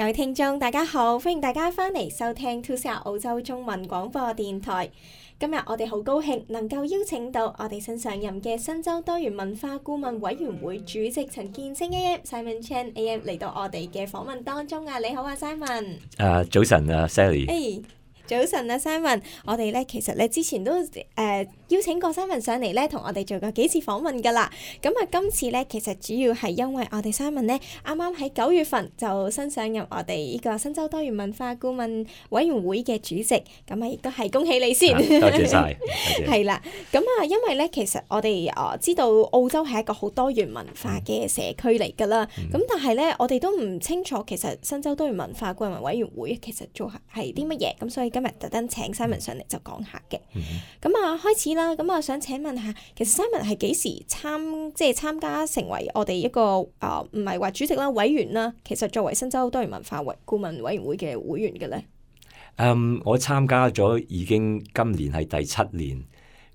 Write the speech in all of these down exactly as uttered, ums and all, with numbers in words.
各位聽眾大家好，歡迎大家翻嚟收聽two C R澳洲中文廣播電台。今日我哋好高興能夠邀請到我哋新上任嘅新州多元文化顧問委員會主席陳建清 A M Simon Chan A M 嚟到我哋嘅訪問當中啊！你好啊 Simon。啊早晨啊 Sally。Hey. 早晨啊 Simon， 我哋咧其實咧之前都誒、呃、邀請過 Simon 上嚟咧，同我哋做過幾次訪問噶啦。咁啊，今次咧其實主要係因為我哋 Simon 咧啱啱喺九月份就新上任我哋呢個新州多元文化顧問委員會嘅主席，咁啊亦都係恭喜你先。啊、多謝晒。係啦，咁啊，因為咧其實我哋啊知道澳洲係一個好多元文化嘅社區嚟噶啦，咁、嗯、但係咧我哋都唔清楚其實新州多元文化顧問委員會其實做係啲乜嘢，咁所以今日特登請 Simon 上嚟就講下嘅。咁啊、嗯、開始啦，咁啊想請問下，其實 Simon 係幾時參即係參加成為我哋一個啊唔係話主席啦委員啦，其實作為新州多元文化委顧問委員會嘅會員嘅咧？嗯，我參加咗已經今年係第七年，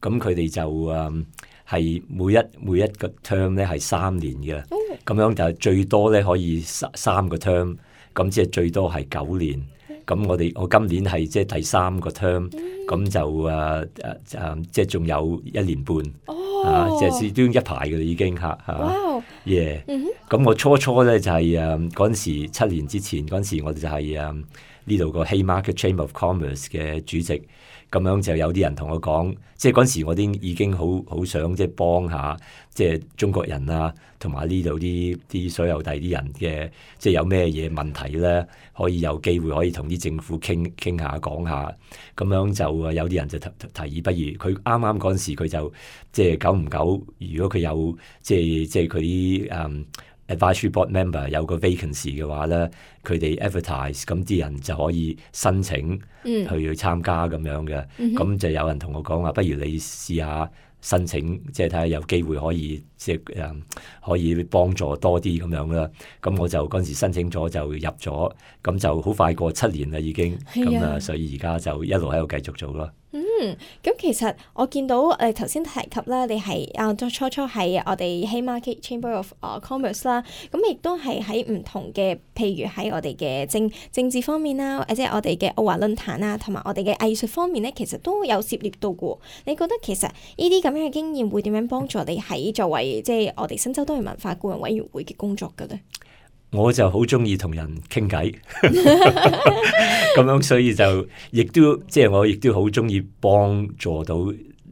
咁佢哋就誒係、嗯、每一每一個 term 咧係三年嘅，咁、嗯、樣就最多咧可以三三個 term， 咁即係最多係九年。咁我哋我今年係即係第三個 term， 咁、嗯、就誒誒誒即係仲有一年半，哦、啊即係都一排嘅啦已經嚇嚇。哇！耶！咁我初初咧就係誒嗰陣時七年之前嗰陣時，我哋就係誒呢度個 Haymarket Chamber of Commerce 嘅主席。咁樣就有啲人同我講，即係嗰陣時我啲已經好好想即係幫下即係中國人啊，同埋呢度啲啲所有第啲人嘅，即係有咩嘢問題咧，可以有機會可以同啲政府傾傾下講下。咁樣就有啲人就提提議，不如佢啱啱嗰陣時佢就即係久唔久，如果佢有即係即係佢啲誒Advisory Board Member 有個 vacancy 嘅話咧，佢哋 advertise， 咁啲人就可以申請去去參加咁樣嘅。咁、嗯、就有人同我講話，不如你試下申請，即係睇下有機會可以即係誒可以幫助多啲咁樣啦。咁我就嗰陣時申請咗就入咗，咁就好快過七年啦已經。咁啊，所以而家就一路喺度繼續做咯。嗯，咁其實我見到誒頭先提及啦，你係啊初初係我哋 Haymarket Chamber of Commerce 啦，咁亦都係喺唔同嘅，譬如喺我哋嘅政政治方面啦，或者我哋嘅澳華論壇啊，同埋我哋嘅藝術方面咧，其實都有涉獵到嘅。你覺得其實呢啲咁樣嘅經驗會點樣幫助你喺作為即係我哋新州多元文化顧問委員會嘅工作嘅咧？我就好中意同人傾偈，咁樣所以就亦都即係、就是、我亦都好中意幫助到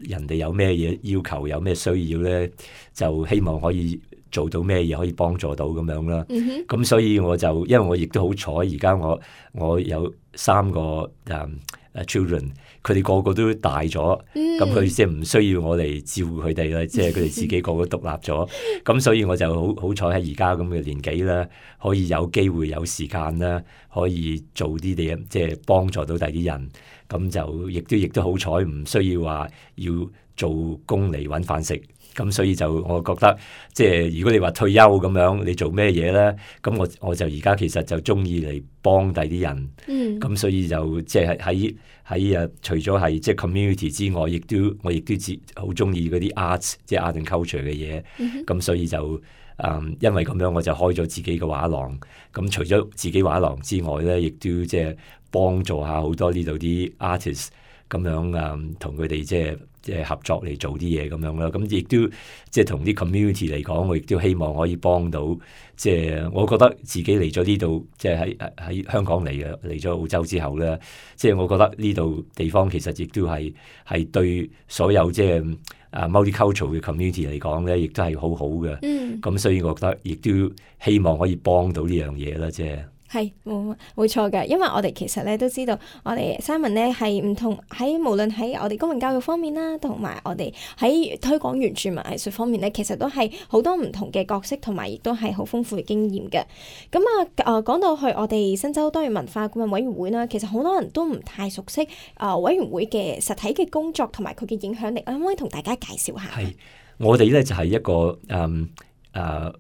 人哋有咩嘢要求，有咩需要咧，就希望可以做到咩嘢可以幫助到咁樣啦。咁、mm-hmm. 所以我就因為我亦都好彩，而家我我有三個誒誒、um, children。佢哋個個都大咗，咁佢即係唔需要我嚟照顧佢哋啦，即係佢哋自己個個獨立咗，咁所以我就好好彩喺而家咁嘅年紀啦，可以有機會有時間啦，可以做啲嘢，即係幫助到第啲人，咁就亦都亦都好彩，唔需要話要做工嚟揾飯食。咁所以就我覺得，即係如果你話退休咁樣，你做咩嘢咧？咁我我就而家其實就中意嚟幫第啲人。咁、嗯、所以就即係喺喺誒，除咗係即係 community 之外，亦都我亦都好中意嗰啲 arts， 即係 art and culture 嘅嘢。咁、嗯、所以就誒、嗯，因為咁樣我就開咗自己嘅畫廊。咁除咗自己畫廊之外咧，亦都即係幫助下好多呢度啲 artist 咁樣誒，同佢哋即係。即係合作嚟做啲嘢咁樣啦，咁亦都即係同啲 community 嚟講，我亦都希望可以幫到。即係我覺得自己嚟咗呢度，即係喺喺香港嚟嘅，嚟咗澳洲之後咧，即係我覺得呢度地方其實亦都係係對所有即係啊 multicultural 嘅 community 嚟講咧，亦都係好好嘅。嗯，咁所以我覺得亦都希望可以幫到呢樣嘢啦，即係。係冇冇錯嘅，因為我哋其實咧都知道，我哋 Simon 咧係唔同喺無論喺我哋公民教育方面啦，同埋我哋喺推廣原住民藝術方面咧，其實都係好多唔同嘅角色，同埋亦都係好豐富嘅經驗嘅。咁啊，誒、呃、講到去我哋新州多元文化顧問委員會啦，其實好多人都唔太熟悉啊、呃、委員會嘅實體嘅工作同埋佢嘅影響力，可唔可以同大家介紹下？係我哋咧就係、是、一個誒誒。嗯呃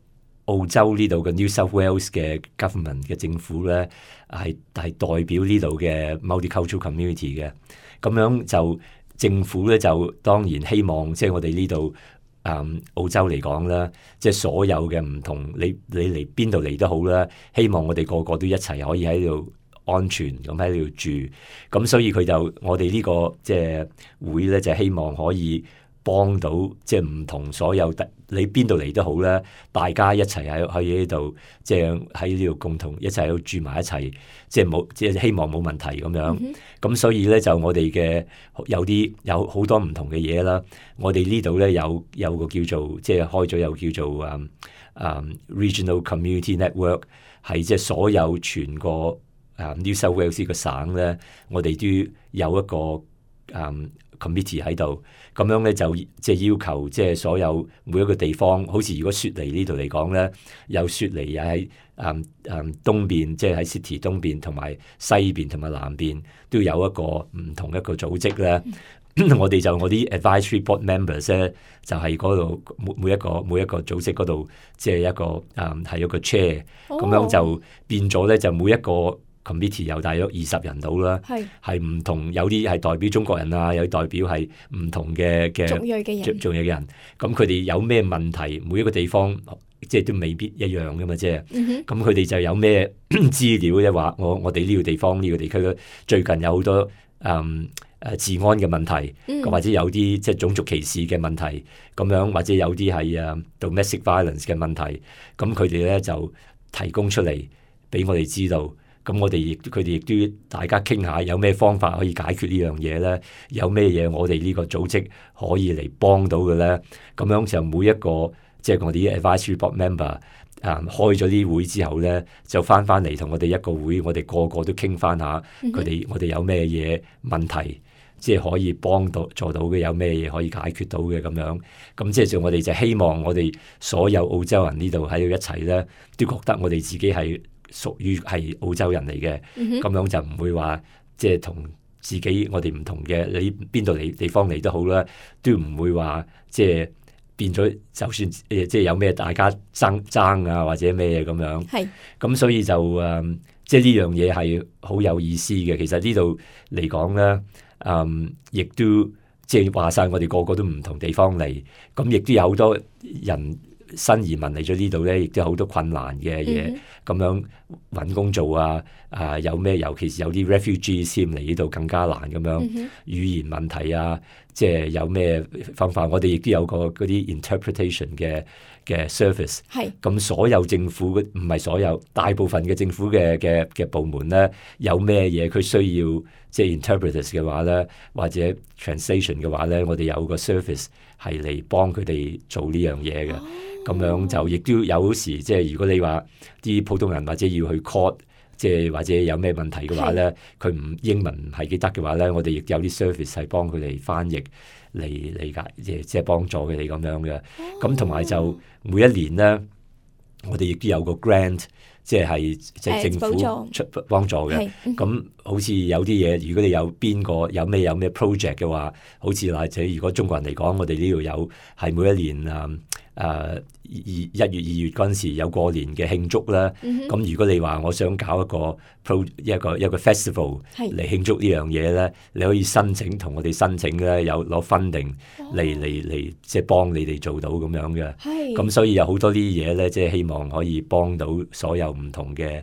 澳洲呢度嘅 New South Wales 嘅 government 嘅政府咧，係係代表呢度嘅 multicultural community 嘅。咁樣就政府咧就當然希望即係、就是、我哋呢度嗯澳洲嚟講啦，即係所有嘅唔同，你你嚟邊度嚟都好啦，希望我哋個個都一齊可以喺度安全咁喺度住，咁所以佢就我哋呢個即係會咧，就希望可以幫到即係唔同所有你邊度嚟都好啦，大家一齊喺喺呢度，即係喺呢度共同一齊喺度住埋一齊，即係冇即係希望冇問題咁樣。咁、嗯、所以咧就我哋嘅有啲有好多唔同嘅嘢啦。我哋呢度咧有有個叫做即係開咗有叫做誒誒、um, Regional Community Network， 係即係所有全個誒、um, New South Wales 個省咧，我哋都有一個誒。Um, committee 喺度，咁樣咧就即係要求，即係所有每一個地方，好似如果雪梨呢度嚟講咧，有雪梨又喺誒誒東邊，即係喺 City 東邊同埋西邊同埋南邊都有一個唔同一個組織咧。我哋就我啲 advisory board members 咧，就係嗰度每每一個每一個組織嗰度，即係一個誒係、um, 一個 chair，咁、oh. 樣就變咗咧，就每一個。committee 有大約二十人到啦，係唔同，有啲係代表中國人啊，有啲代表係唔同嘅嘅族裔嘅人，族裔嘅人。咁佢哋有咩問題，每一個地方即係都未必一樣噶嘛，即係。咁佢哋就有咩資料咧？話我我哋呢個地方呢、呢個地區咧，最近有好多誒誒、嗯、治安嘅問題，嗯、或者有啲即係種族歧視嘅問題，咁樣或者有啲係誒 domestic violence 嘅問題，咁佢哋咧就提供出嚟俾我哋知道。咁我哋亦佢哋亦都大家傾下有咩方法可以解決呢樣嘢咧？有咩嘢我哋呢個組織可以嚟幫到嘅咧？咁樣就每一個即係、就是、我哋啲 advisory board member 啊、嗯，開咗啲會之後咧，就翻翻嚟同我哋一個會，我哋個個都傾翻下佢哋、嗯、我哋有咩嘢問題，即係可以幫到做到嘅，有咩嘢可以解決到嘅咁樣。咁即係就我哋就希望我哋所有澳洲人呢度喺度一齊咧，都覺得我哋自己係屬於係澳洲人嚟嘅，咁、嗯、樣就唔會話即係同自己我哋唔同嘅，你邊度嚟地方嚟都好啦，都唔會話即係變咗，就算誒即係有咩大家爭爭啊或者咩嘢咁樣。係，咁所以就誒、嗯，即係呢樣嘢係好有意思嘅。其實呢度嚟講咧，嗯，亦都即係話晒我哋個個都唔同地方嚟，咁亦都有好多人。新移民嚟咗呢度咧，亦都有好多困難嘅嘢，咁、mm-hmm. 樣揾工做啊，啊有咩？尤其是有啲 refugees 先嚟呢度更加難咁樣，mm-hmm. 語言問題啊，即係有咩方法？我哋亦都有個嗰啲 interpretation 嘅嘅 service。係。咁所有政府唔係所有，大部分嘅政府嘅嘅嘅部門咧，有咩嘢佢需要即係 interpreters 嘅話咧，或者 translation 嘅話咧，我哋有個 service 係嚟幫佢哋做呢樣嘢嘅。Oh. 咁樣就亦都有時，即係如果你話啲普通人或者要去 court， 即係或者有咩問題嘅話咧，佢唔英文唔係幾得嘅話咧，我哋亦有啲 service 係幫佢哋翻譯嚟理解，即係即係幫助佢哋咁樣嘅。咁同埋就每一年咧，我哋亦都有個 grant， 即係即係政府出幫助嘅。咁好似有啲嘢，如果你有邊個有咩有咩 project 嘅話，好似或者如果中國人嚟講，我哋呢度有係每一年啊。誒、uh, 二一月二月嗰陣時有過年嘅慶祝啦，咁、mm-hmm. 如果你話我想搞一個 pro 一個一個 festival 嚟慶祝呢樣嘢咧，你可以申請同我哋申請咧，有攞 funding 嚟嚟嚟即係幫你哋做到咁樣嘅，咁所以有好多啲嘢咧，即係希望可以幫到所有唔同嘅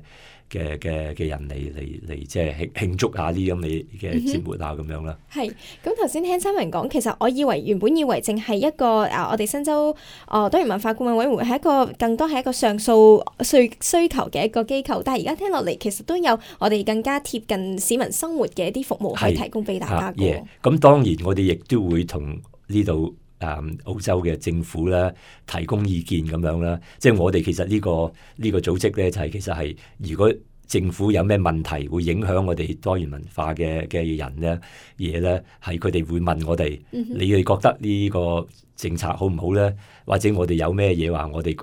嘅嘅嘅人嚟嚟嚟即係慶慶祝下啲咁嘅嘅節目啊咁樣啦。係，咁頭先聽新聞講，其實我以為原本以為淨係一個啊，我哋新州哦多元文化顧問委員會係一個更多係一個上訴需需求嘅一個機構，但係而家聽落嚟，其實都有我哋更加貼近市民生活嘅一啲服務可以提供俾大家嘅。咁、yeah. 當然我哋亦都會同呢度誒澳洲嘅政府咧提供意見咁樣啦，即係我哋其實呢、這個呢、這個組織咧就係、是、其實係如果政府有咩問題會影響我哋多元文化嘅嘅人咧嘢咧，係佢哋會問我哋、嗯，你哋覺得呢個政策好唔好咧？或者我哋有咩嘢話，我哋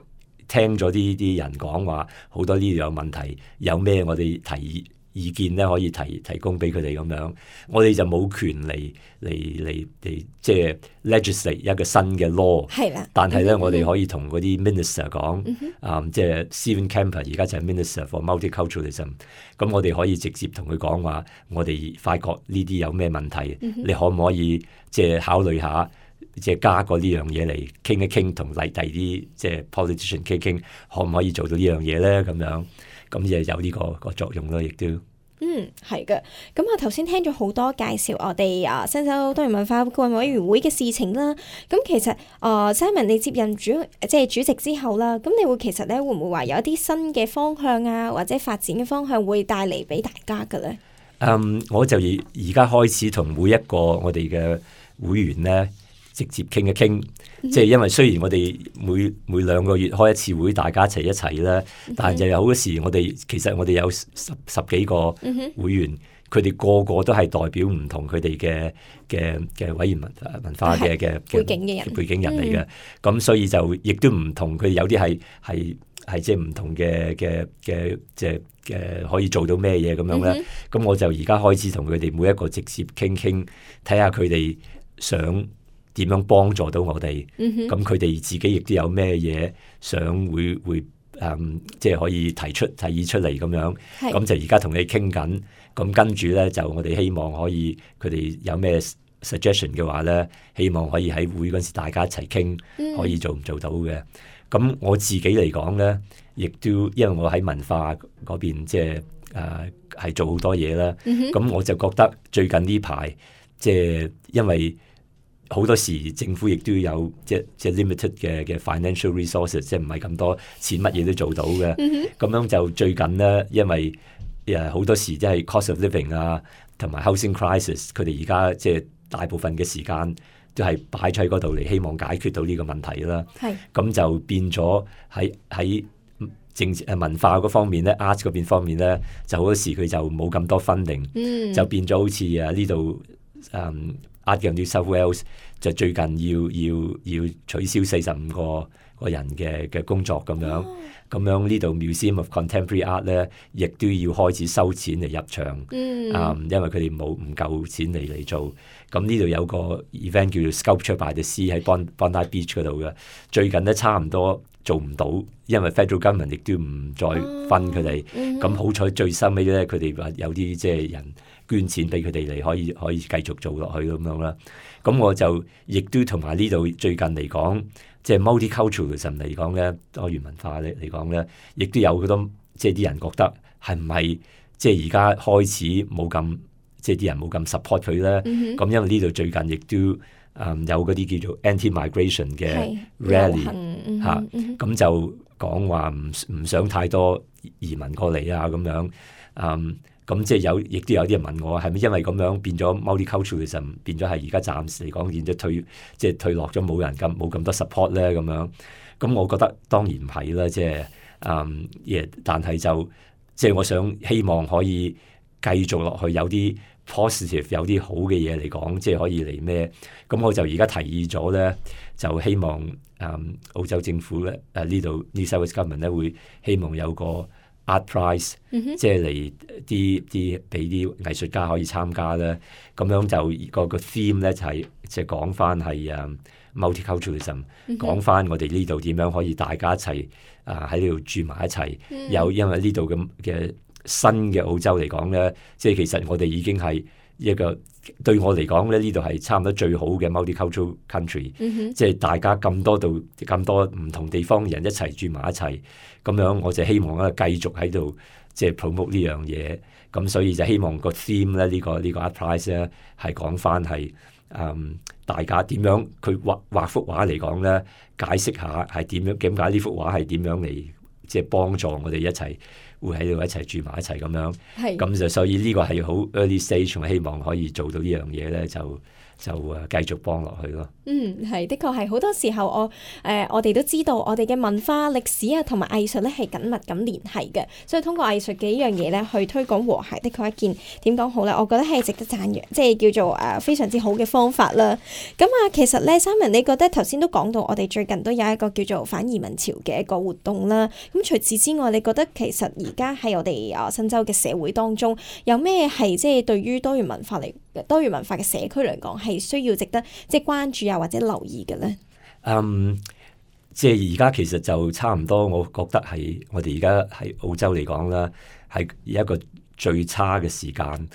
聽咗啲啲人講話，好多呢度有問題，有咩我哋提議意見咧可以提提供俾佢哋咁樣，我哋就冇權嚟嚟嚟嚟即係 legislate 一個新嘅 law。係啦，但係咧、嗯、我哋可以同嗰啲 minister 講，啊、嗯，即係 Stephen Kemper 而家就係 minister for multiculturalism。咁我哋可以直接同佢講話，我哋發覺呢啲有咩問題、嗯，你可唔可以即係考慮下即係加過呢樣嘢嚟傾一傾，同第第啲即係 politician 傾傾，可唔可以做到呢樣嘢咧？咁樣咁就有呢、這個個作用咯，亦都。嗯，係嘅。咁我頭先聽咗好多介紹我哋啊新州多元文化顧問委員會嘅事情啦。咁其實啊、呃、Simon 你接任主即係主席之後啦，咁你會其實咧會唔會話有一啲新嘅方向啊，或者發展嘅方向會帶嚟俾大家嘅咧？嗯，我就而而家開始同每一個我哋嘅會員咧直接傾一傾，即係、嗯、因為雖然我哋每每兩個月開一次會，大家一齊一齊啦，嗯、但係就有好多時我哋其實我哋有十十幾個會員，佢哋、嗯、個個都係代表唔同佢哋嘅嘅嘅委員文文化嘅嘅背景嘅人背景人嚟嘅，咁、嗯、所以就亦都唔同，佢有啲係係係即係唔同嘅嘅嘅即係嘅可以做到咩嘢咁樣咧，咁、嗯、我就而家開始同佢哋每一個直接傾傾，睇下佢哋想點樣幫助到我哋？咁佢哋自己亦都有咩嘢想會會誒、嗯，即係可以提出提議出嚟咁樣。咁是就而家同你傾緊。咁跟住咧，就我哋希望可以佢哋有咩 suggestion 嘅話咧，希望可以喺會嗰陣時大家一齊傾，可以做唔做到嘅。咁、嗯、我自己嚟講咧，亦都因為我喺文化嗰邊即係誒係做好多嘢啦。咁、嗯、我就覺得最近呢排即係因為好多時政府亦都有即即 limited 嘅嘅 financial resources， 即係唔係咁多錢乜嘢都做到嘅。咁、mm hmm. 樣就最近咧，因為誒好多時即係 cost of living 啊，同埋 housing crisis， 佢哋而家即係大部分嘅時間都係擺喺嗰度嚟，希望解決到呢個問題啦。係咁是就變咗喺喺政治誒文化嗰方面咧 ，art 嗰邊方面咧，就好多時佢就冇咁多 funding，、mm. 就變咗好似誒呢度誒。Art New South Wales 就最近要要要取消四十五個個人嘅嘅工作咁樣，咁、oh. 樣呢度 Museum of Contemporary Art 咧，亦都要開始收錢嚟入場，嗯、mm. ，um, 因為佢哋冇唔夠錢嚟嚟做。咁呢度有個 event 叫做 Sculpture by the Sea 喺 Bondi Beach 嗰度嘅，最近咧差唔多做唔到，因為 Federal Government 亦都唔再分佢哋。咁、oh. mm. 好彩最收尾咧，佢哋話有啲即係人捐錢俾佢哋嚟，可以可以繼續做落去咁樣啦。咁我就亦都同埋呢度最近嚟講，即係 multiculturalism 嚟講咧，多元文化嚟嚟講咧，亦都有好多即係啲人覺得係唔係即係而家開始冇咁即係啲人冇咁 support 佢咧。咁、mm hmm. 因為呢度最近亦都誒、嗯、有嗰啲叫做 anti-migration 嘅 rally 嚇，咁、mm hmm. 啊、就講話唔唔想太多移民過嚟啊咁樣嗯。咁即係有，亦都有啲人問我，係咪因為咁樣變咗 multiculturalism 變咗係而家暫時嚟講變咗退，即係退落咗冇人咁冇咁多 support 咧咁樣？咁我覺得當然唔係啦，即係嗯，亦但係就即係我想希望可以繼續落去有啲 positive 有啲好嘅嘢嚟講，即係可以嚟咩？咁我就而家提議咗咧，就希望嗯澳洲政府咧誒呢度 New South Wales Government 咧會希望有個Art Prize，、mm hmm. 即係嚟啲啲俾啲藝術家可以參加咧，咁樣就個個 theme 咧就係即係講翻係誒 multiculturalism，、mm hmm. 講翻我哋呢度點樣可以大家一齊啊喺呢度住埋一齊。Mm hmm. 有因為呢度咁嘅新嘅澳洲嚟講咧，即係其實我哋已經係一個對我嚟講咧，呢度係差唔多最好嘅 multicultural country，、mm hmm. 即係大家咁多度咁多唔同地方人一齊住埋一齊。咁樣我就希望咧繼續喺度即係 promote 呢樣嘢，咁所以就希望個 theme 咧呢、呢個呢、呢個 Art Prize 咧係講翻係誒大家點樣佢畫畫幅畫嚟講咧，解釋下係點樣點解呢幅畫係點樣嚟即係幫助我哋一齊會喺度一齊住埋一齊咁樣，咁就是所以呢個係好 early stage，我希望可以做到呢樣嘢咧就。就誒繼續幫落去咯。嗯，係，的確係好多時候我誒、呃、我哋都知道我哋嘅文化歷史啊同埋藝術咧係緊密咁聯繫嘅，所以通過藝術嘅呢樣嘢咧去推廣和諧，的確一件點講好咧，我覺得係值得讚揚，即係叫做誒、呃、非常之好嘅方法啦。咁啊，其實咧，Simon，你覺得頭先都講到我哋最近都有一個叫做反移民潮嘅一個活動啦。咁除此之外，你覺得其實而家喺我哋啊新州嘅社會當中有咩係即係對於多元文化嚟多元文化嘅社區嚟講係需要值得即係關注啊或者留意嘅咧？嗯，即係而家其實就差唔多，我覺得係我哋而家喺澳洲嚟講啦，係一個最差嘅時間，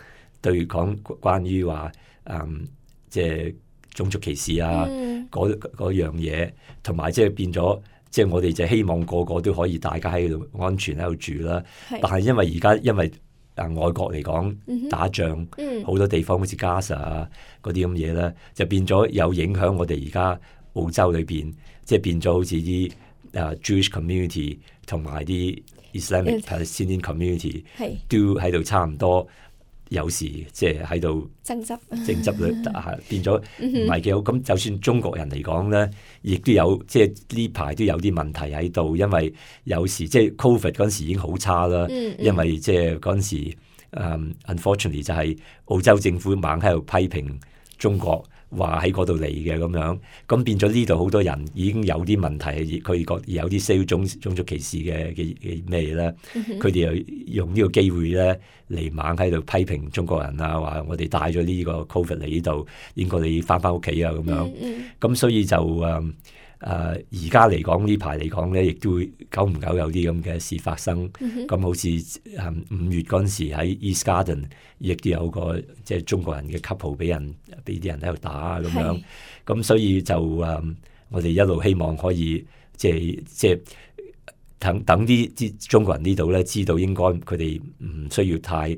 對講關於話嗯即係種族歧視啊，嗯、嗰嗰樣嘢，同埋即係變咗，即係我哋就希望個個都可以大家喺度安全喺度住啦。但係因為而家因為啊外國嚟講、嗯、打仗，好、嗯、多地方好似加沙啊嗰啲咁嘢咧，就變咗有影響我哋而家澳洲裏邊，即係變咗好似啲啊 Jewish community 同埋啲 Islamic Palestinian community 都喺度差唔多。有時即係喺度爭執，爭執咧變咗唔係幾好。咁就算中國人嚟講咧，亦都有即係呢排都有啲問題喺度，因為有時即係 Covid 嗰陣時已經好差啦，嗯嗯、因為即係嗰陣時、um, unfortunately 就係澳洲政府猛喺度批評中國。話喺嗰度嚟嘅咁樣，咁變咗呢度好多人已經有啲問題，佢覺有啲少種種族歧視嘅嘅嘅咩嘢咧，佢哋、嗯、又用呢個機會咧嚟猛喺度批評中國人啊，話我哋帶咗呢個 Covid 嚟呢度，應該你翻翻屋企啊咁樣，咁、嗯嗯、所以就誒。誒而家嚟講呢排嚟講咧，亦都會久唔久有啲咁嘅事發生。咁、mm hmm. 好似誒五月嗰陣時喺 East Garden，亦都有個即係中國人嘅 couple 俾人俾啲人喺度打咁樣。咁是所以就誒、嗯，我哋一路希望可以即係即係等等啲啲中國人呢度咧，知道應該佢哋唔需要太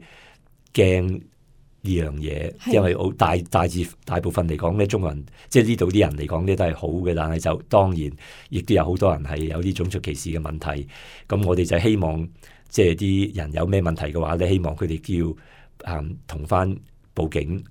驚。呢樣嘢，因為好大大致大部分嚟講咧，中國人即係呢度啲人嚟講咧都係好嘅，但係就當然亦都有好多人係有啲種族歧視嘅問題。咁我哋就希望即係啲人有咩問題嘅話咧，希望佢哋叫誒同翻報警，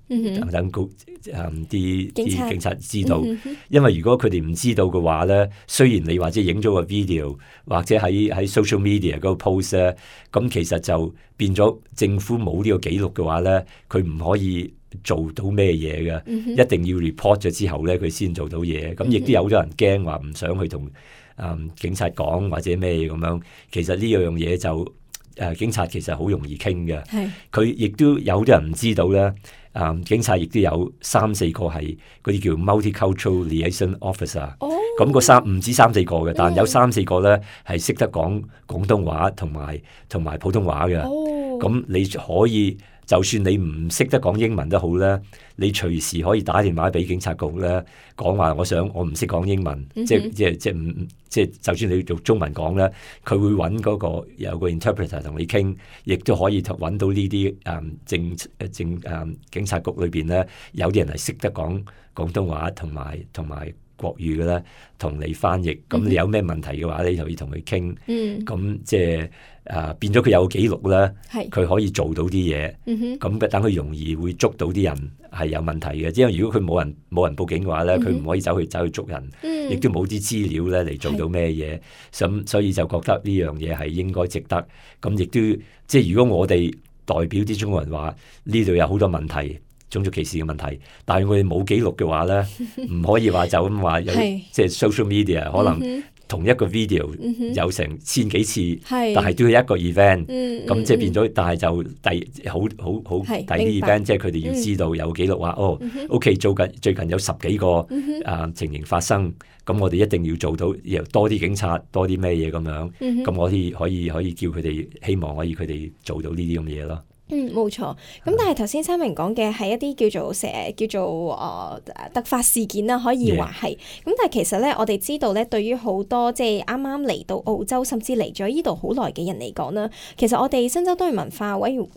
等高誒啲啲警察知道。嗯、哼因為如果佢哋唔知道嘅話咧，雖然你或者影咗個 video 或者喺喺 social media 嗰個 post 咧，咁其實就變咗政府冇呢個記錄嘅話咧，佢唔可以做到咩嘢嘅，嗯、哼一定要 report 咗之後咧，佢先做到嘢。咁亦都有好多人驚話唔想去同誒、嗯、警察講或者咩咁樣。其實呢樣嘢就誒、呃、警察其實好容易傾嘅，佢亦是都有啲人唔知道咧。誒、呃、警察亦都有三四個係嗰啲叫 multicultural liaison officer，咁、哦、個三唔止三四個嘅，但有三四個咧係識得講廣東話同埋同埋普通話嘅。咁、哦、你可以就算你唔識得講英文都好咧，你隨時可以打電話俾警察局咧，講話我想我唔識講英文，嗯、哼即係即係即係唔即係就算你用中文講咧，佢會揾嗰個有個 interpreter 同你傾，亦都可以揾到呢啲誒政政誒警察局裏邊咧，有啲人係識得講廣東話同埋同埋國語嘅咧，同你翻譯。咁你有咩問題嘅話，你就要同佢傾。咁、嗯、即係。誒、uh, 變咗佢有記錄咧，佢是可以做到啲嘢，咁、嗯、哼等佢容易會捉到啲人係有問題嘅。因為如果佢冇人冇人報警嘅話咧，佢唔、嗯、哼可以走去走去捉人，亦、嗯、都冇啲資料咧嚟做到咩嘢。咁是所以就覺得呢樣嘢係應該值得。咁亦都即係如果我哋代表啲中國人話呢度有好多問題，種族歧視嘅問題，但係我哋冇記錄嘅話咧，唔可以話就咁話有即係 social media 可能。嗯同一個 video 有成千幾次，嗯、哼但係都係一個 event，咁、嗯、即係變咗。但係就第好好好第啲 event，即係佢哋要知道有記錄話、嗯、哦、嗯、哼，OK，做緊最近有十幾個、嗯、哼啊情形發生，咁我哋一定要做到，又多啲警察，多啲咩嘢咁樣，咁、嗯、哼我可以可以可以叫佢哋，希望可以佢哋做到呢啲咁嘅嘢咯。嗯，冇錯。咁但係頭先三明講嘅係一啲叫做成叫做誒、呃、突發事件啦，可以話係。咁 Yeah. 但係其實咧，我哋知道咧，對於好多即係啱啱嚟到澳洲，甚至嚟咗呢度好耐嘅人嚟講啦，其實我哋新州多元文化委員誒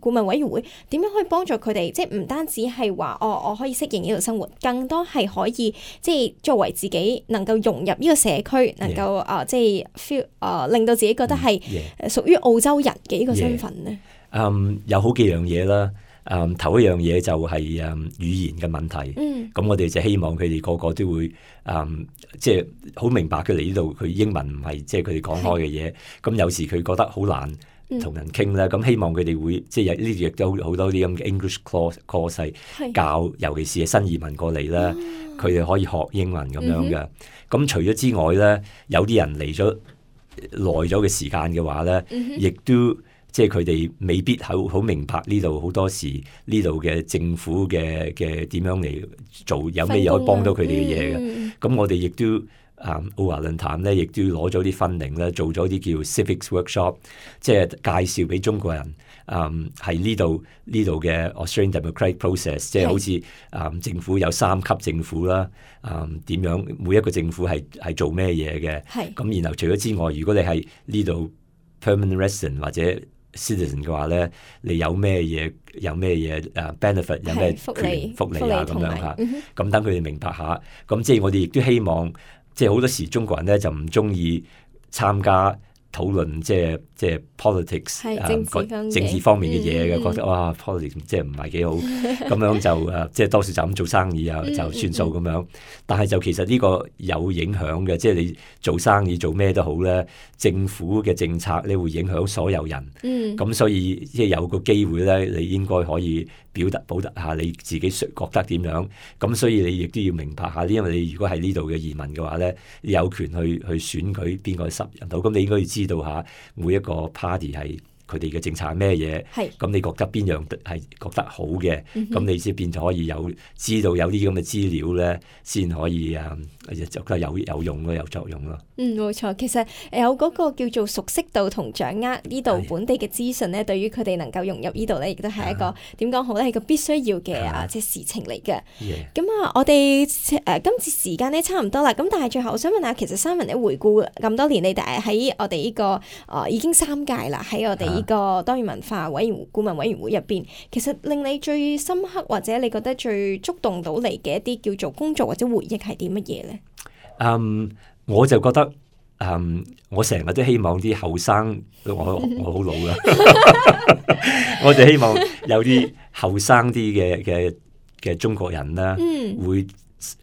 顧問委員會點樣可以幫助佢哋？即係唔單止係話哦，我可以適應呢度生活，更多係可以即係作為自己能夠融入呢個社區，能夠啊 Yeah.、呃、即係 feel 啊、呃，令到自己覺得係屬於澳洲人嘅呢個身份咧。Yeah. 嗯，um, 有好幾樣嘢啦。嗯，頭一樣嘢就係、是、嗯語言嘅問題。嗯，咁我哋就希望佢哋個個都會嗯即係好明白佢嚟呢度，佢英文唔係即係佢哋講開嘅嘢。咁是有時佢覺得好難同人傾咧。咁、嗯、希望佢哋會即係呢度亦都好多啲咁嘅 English course course 係教，是尤其是係新移民過嚟咧，佢哋、嗯、可以學英文咁樣嘅。咁、嗯、除咗之外咧，有啲人嚟咗耐咗嘅時間嘅話咧，亦、嗯、都。即係佢哋未必好好明白呢度好多時呢度嘅政府嘅嘅點樣嚟做，有咩嘢可以幫到佢哋嘅嘢嘅。咁、嗯、我哋亦都啊奧華論壇咧，亦都攞咗啲funding咧，做咗啲叫 civics workshop， 即係介紹俾中國人，嗯係呢度呢度嘅 Australian democratic process， 即係好似啊、嗯、政府有三級政府啦，啊、嗯、點樣每一個政府係係做咩嘢嘅，咁然後除咗之外，如果你係呢度 permanent resident 或者 citizen 嘅話咧，你有咩嘢有咩嘢誒 benefit 有咩福利福利啊咁樣嚇，咁等佢哋明白下，咁即係我哋亦都希望。即係好多時中國人咧就唔中意參加討論，即係即係 politics 政治、呃、政治方面嘅嘢嘅，嗯、覺得哇 politics 即係唔係幾好，咁樣就誒即係多數就咁做生意啊就算數咁樣。但係就其實呢個有影響嘅，即係你做生意做咩都好咧，政府嘅政策咧會影響所有人。咁、嗯、所以即係有個機會咧，你應該可以表達表達下你自己覺得點樣。咁所以你亦都要明白下，因為你如果係呢度嘅移民嘅話咧，你有權去去選舉邊個十人到，咁你應該要知道下每一個 party 係佢哋嘅政策係咩嘢，咁你覺得邊樣係覺得好嘅，咁、嗯、你先變咗可以有知道有啲咁嘅資料咧，先可以啊，覺得有有用咯，有作用咯。嗯，冇錯，其實有嗰個叫做熟悉度同掌握呢度本地嘅資訊咧，對於佢哋能夠融入呢度咧，亦都係一個點講好咧，係個必須要嘅啊，即係事情嚟嘅。咁啊，我哋誒、呃、今次時間咧差唔多啦，咁但係最後我想問下，其實Simon咧回顧咁多年，你哋喺我哋呢、這個啊、呃、已經三屆啦，喺我哋呢個多元文化委員顧問委員會入邊，其實令你最深刻或者你覺得最觸動到你嘅一啲叫做工作或者回憶係啲乜嘢咧？嗯。Um, 我就覺得，嗯，我成日都希望啲後生，我我好老啦，我就希望有啲後生啲嘅嘅嘅中國人啦，嗯、會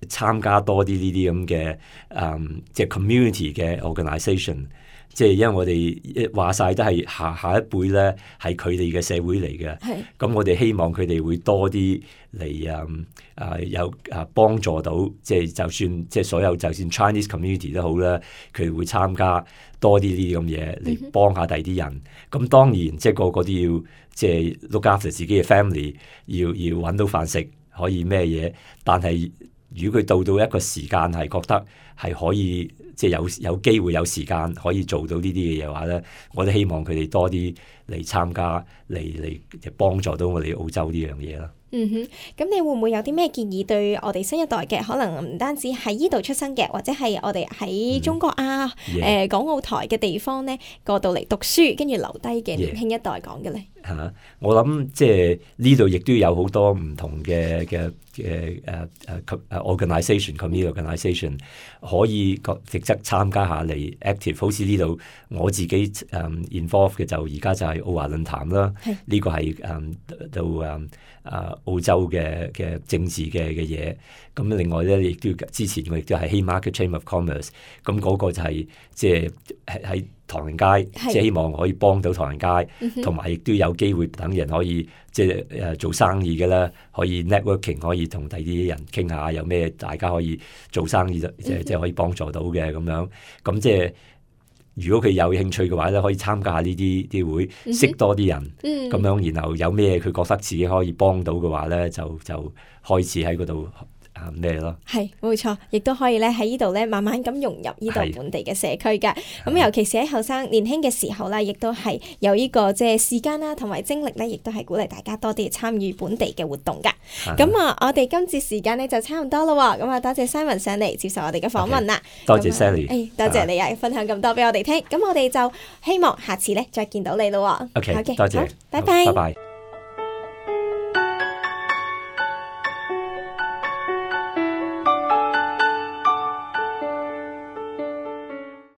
參加多啲呢啲咁嘅，嗯，即係 community 嘅 organisation。即係因為我哋話晒都係下下一輩咧，係佢哋嘅社會嚟嘅。咁我哋希望佢哋會多啲嚟啊啊有啊幫助到，即係就算即係所有就算 Chinese community 都好啦，佢會參加多啲呢啲咁嘢嚟幫下第啲人。咁、嗯、當然即係個個都要即係 look after 自己嘅 family， 要要揾到飯食，可以咩嘢？但係如果佢到到一個時間係覺得係可以。即係有有機會有時間可以做到呢啲嘅嘢話咧，我都希望佢哋多啲嚟參加，嚟嚟幫助到我哋澳洲呢樣嘢啦。嗯哼，咁你會唔會有啲咩建議對我哋新一代嘅，可能唔單止喺呢度出生嘅，或者係我哋喺中國啊、誒、嗯呃、港澳台嘅地方咧過到嚟讀書，跟住留低嘅年輕一代講嘅咧？嚇、yeah. 我諗即係呢度亦都有好多唔同嘅嘅嘅誒誒誒 organisation community organisation 可以個值得參加下嚟 active， 好似呢度我自己誒、um, involve 嘅就而家就係奧華論壇啦，呢個係誒到誒誒澳洲嘅嘅政治嘅嘅嘢。咁另外咧亦都之前我亦都係 Haymarket Chamber of Commerce， 咁嗰個就係即係喺喺唐人街，即係希望可以幫到唐人街，同埋亦都有機會等人可以即係誒做生意嘅啦，可以 networking， 可以同第啲人傾下有咩大家可以做生意即係即係可以幫助到嘅咁樣。咁即係如果佢有興趣嘅話咧，可以參加下呢啲啲會，識多啲人，咁、嗯、樣然後有咩佢覺得自己可以幫到嘅話咧，就就開始喺嗰度。咩咯？係冇錯，亦都可以咧喺呢度咧慢慢咁融入呢度本地嘅社區噶。咁尤其是喺後生年輕嘅時候啦，亦都係有呢個即係時間啦，同埋精力咧，亦都係鼓勵大家多啲參與本地嘅活動噶。咁啊，我哋今次時間咧就差唔多啦。咁啊，多謝 Simon 上嚟接受我哋嘅訪問啦。Okay. 多謝 Sally，誒，多謝你啊，分享咁多俾我哋聽。咁我哋就希望下次咧再見到你咯。OK， okay. 多謝，拜拜，拜拜。